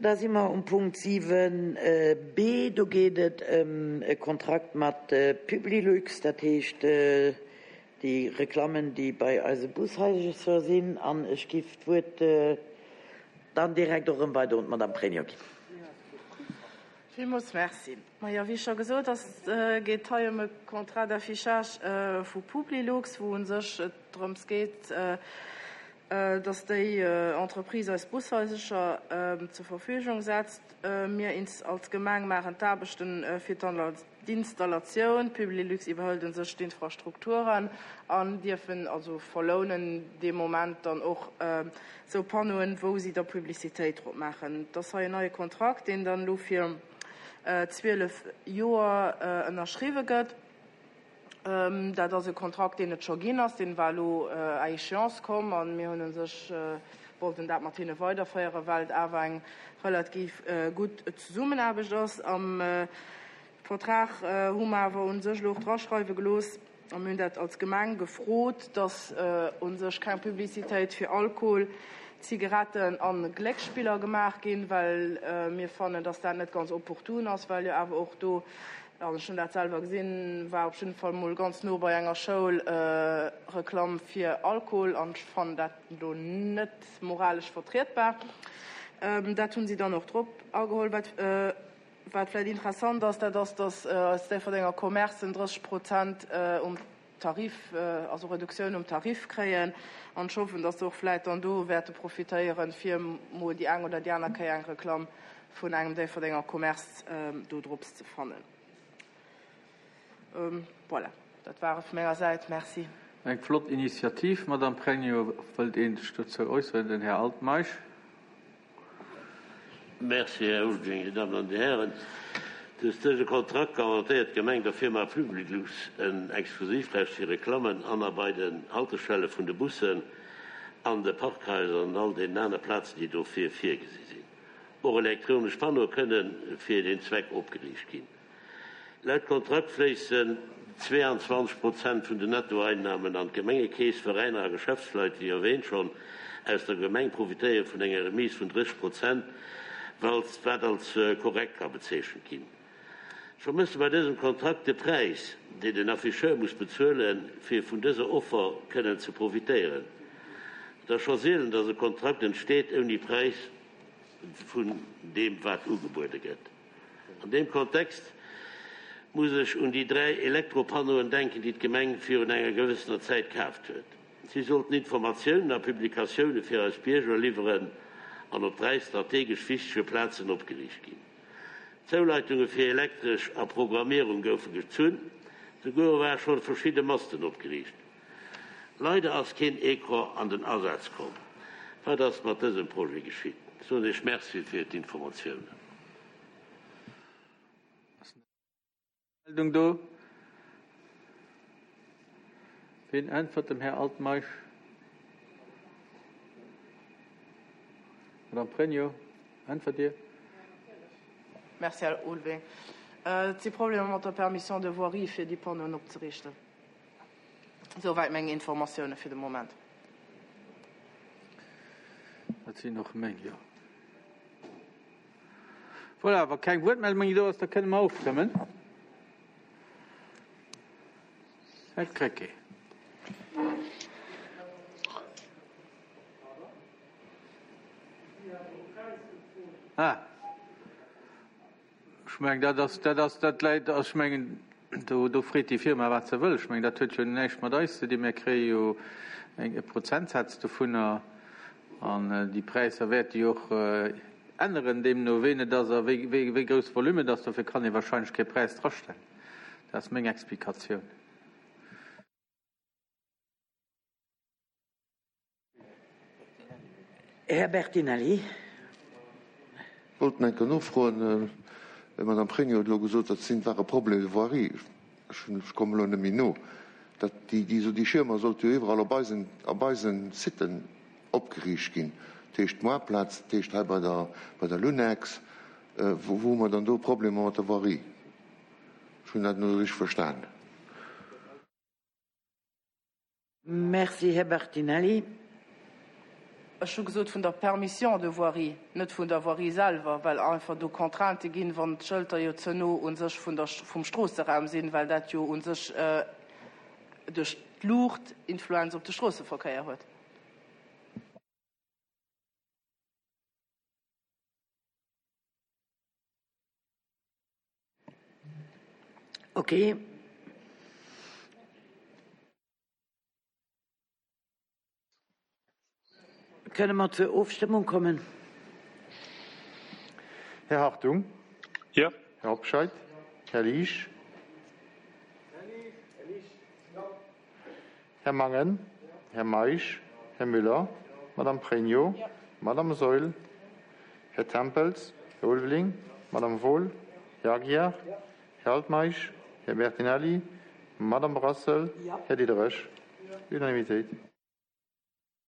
Da si mer um Punkt 7 b. Do geet et ëm e Kontrakt mat Publilux, dat heescht déi Reklammen, déi bei eise Bushaisercher sinn. An ech giff d'Wuert dann direkt och erëm weider un d'Madame Pregno ginn. Villmools Merci. Majo, wéi scho gesot ass, geet et hei ëm e Contrat d'affichage vu Publilux, wou u sech et drëms geet, dass déi Entreprise eis Bushaisercher zur Verfügung setzt. Mir als Gemeng maachen d'Aarbechten fir d'Installatioun, Publilux iwwerhëlt u sech d'Infrastrukturen an dierfen also verlounen dee Moment dann och esou Panneauen, wou si da Publicitéit drop maachen. Et ass hei en neie Kontrakt, deen dann elo fir 12 Joer ënnerschriwwe gëtt. Dat ass e Kontrakt, deen et scho ginn ass. Deen war elo à échéance komm a mir hunn u sech wollten dat mat hinne weiderféieren, well et awer eng relativ gutt Zesummenaarbecht ass. Am Vertrag hu mer awer u sech elo och draschreiwe gelooss, a mir hunn dat als Gemeng gefrot, dass u sech keng Publicitéit fir Alkohol, Zigaretten a Glécksspiller gemaach ginn, well mir fannen, dass dat net ganz opportun ass, well jo awer och do An ech hunn dat selwer gesinn, war op jidden Fall mol ganz no bei enger Schoul Reklamm fir Alkohol an ech fannen dat do net moralesch vertrietbar. Dat hunn si dann och drop ageholl. Wat wat vläit interessant ass, dat ass, dass eis Déifferdenger Commercen 30 Prozent um Tarif, also Reduktioun um Tarif kréien. An ech hoffen, dass se och vläit dann do wäerte profitéieren, fir mol déi eng oder déi aner Kéier eng Reklamm vun engem Déifferdenger Commerce do drops ze fannen. Voilà, dat war et vu menger Säit. Merci. Eng flott Initiativ, Madame Pregno. Wëllt een sech dozou äusseren? Den Här Altmeisch. Merci, Här Ulveling. Dir Dammen an Dir Hären, duerch dëse Kontrakt garantéiert d'Gemeng der Firma Publilux en Exklusivrecht fir Reklammen an a bei den Haltestelle vun de Bussen, an de Parkhaiser an all deenen aner Plazen, déi dofir virgesi sinn. Och elektronesch Panneaue kënne fir deen Zweck opgeriicht ginn. Laut Kontrakt fléissen 22 Prozent vun den Nettoeinnamen an d'Gemengekeess. Veräiner a Geschäftsleit, wéi erwähnt schonn, aus der Gemeng profitéiere vun enger Remise vun 30 Prozent, wat als korrekt ka bezeechent ginn. Ech vermësse bei dësem Kontrakt de Präis, deen den Afficheur muss bezuelen, fir vun dëser Offer kënnen ze profitéieren. Et ass scho sielen, dass e Kontrakt entsteet ouni Präis vun deem, wat ugebuede gëtt. An deem Kontext muss ech un déi 3 Elektropanneauen denken, déi d'Gemeng virun enger gewëssener Zäit kaaft huet. Si sollten Informatiounen a Publikatioune fir eis Bierger liwweren an op 3 strategesch wichtege Plazen opgeriicht ginn. D'Zouleitunge fir Elektresch a Programmierung goufe gezunn, souguer ware scho verschidde Masten opgeriicht. Leider ass keen Ecran an den Asaz komm. Wat ass mat dësem Projet geschitt? Ech soen Iech Merci fir d'Informatiounen. Ass eng Meldung do? Ween äntwert dem Här Altmeisch? Madame Pregno, äntwert Dir? Merci, Här Ulveling. Et si Problemer mat der Permission de voirie, fir déi Panneauen opzeriichten. Souwäit meng Informatioune fir de Moment. Dat sinn och meng, jo. Voilà, wa keng Wuertmeldung méi do ass, da kënne mer ofstëmmen. Här Krecké. Ah. Ech mengen, dat ass, dat ass, dat läit, also ech mengen, do, do freet déi Firma, wat se wëll. Ech mengen, dat huet jo näischt mat eis ze dinn. Mir kréie jo eng, e Prozentsaz dovunner an déi Präisser wäerte jo och änneren, deemno ween et ass a wéi, wéi, wéi grouss Volume et ass. Dofir kann ee wahrscheinlech kee Präis drastellen. Dat ass meng Explikatioun. Här Bertinelli. Wollt eng Kéier nofroen, d'Madame Pregno huet elo gesot, dat sinn, ware Problèmes de voirie, ech hunn, ech kommen elo net méi no, dat déi, déi, déi Schiermer sollte jo iwwerall op eisen, op eisen Siten opgeriicht ginn, dat heescht d'Moarplaz, dat heescht hei bei der, bei der Lunex, wou, wou hu mer dann do Problemer mat der Voirie? Ech hunn dat net esou richteg verstan. Merci, Här Bertinelli. Ech hu gesot vun der Permission de voirie, net vun der Voirie selwer, well einfach do Contraintë ginn, wann d'Schëlter jo ze no u sech vun der, vum Stroosseraum sinn, well dat jo u sech duerch d'Luucht Influenz op de Stroosseverkéier huet. Okay. Kënne mer zur Ofstëmmung kommen? Här Hartung? Jo. Här Hobscheit? Här Liesch? Här Mangen? Här Meisch? Här Müller? Madame Pregno? Madame Saeul? Här Tempels? Här Ulveling? Madame Wohl? Här Aguiar? Här Altmeisch? Här Bertinelli? Madame Brassel? Här Diderich? Unanimitéit.